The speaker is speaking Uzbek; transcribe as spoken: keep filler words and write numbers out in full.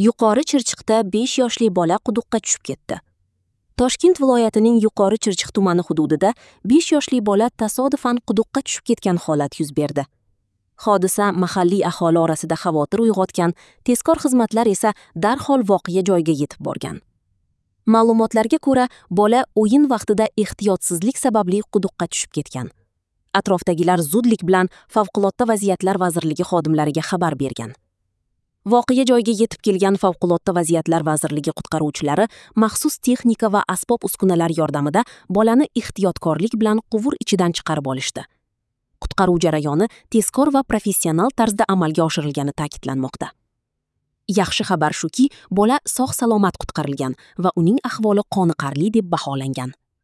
Yuqori Chirchiqda besh yoshli bola quduqqa tushib ketdi. Toshkent viloyatining Yuqori Chirchiq tumani hududida besh yoshli bola tasodifan quduqqa tushib ketgan holat yuz berdi. Hodisa mahalliy aholi orasida xavotir uyg'otgan, tezkor xizmatlar esa darhol voqea joyiga yetib borgan. Ma'lumotlarga ko'ra, bola o'yin vaqtida ehtiyotsizlik sababli quduqqa tushib ketgan. Atrofdagilar zudlik bilan Favqulodda vaziyatlar vazirligi xodimlariga xabar bergan. Voqea joyiga yetib kelgan Favqulodda vaziyatlar vazirligi qutqaruvchilari maxsus texnika va asbob-uskunalar yordamida bolani ehtiyotkorlik bilan quvur ichidan chiqarib olishdi. Qutqaruv jarayoni tezkor va professional tarzda amalga oshirilgani ta'kidlanmoqda. Yaxshi xabar shuki, bola sog'-salomat qutqarilgan va uning ahvoli qoniqarli deb baholangan.